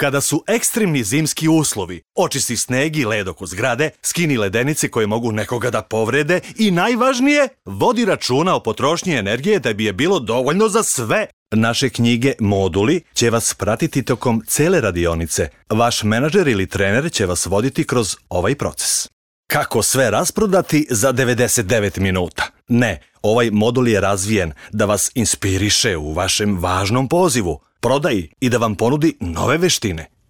Kada su ekstremni zimski uslovi, očisti sneg i led oko zgrade, skini ledenice koje mogu nekoga da povrede i najvažnije, vodi računa o potrošnji energije da bi je bilo dovoljno za sve. Naše knjige Moduli će vas pratiti tokom cele radionice. Vaš menadžer ili trener će vas voditi kroz ovaj proces. Kako sve rasprodati za 99 minuta? Ne, ovaj modul je razvijen da vas inspiriše u vašem važnom pozivu, prodaji i da vam ponudi nove veštine.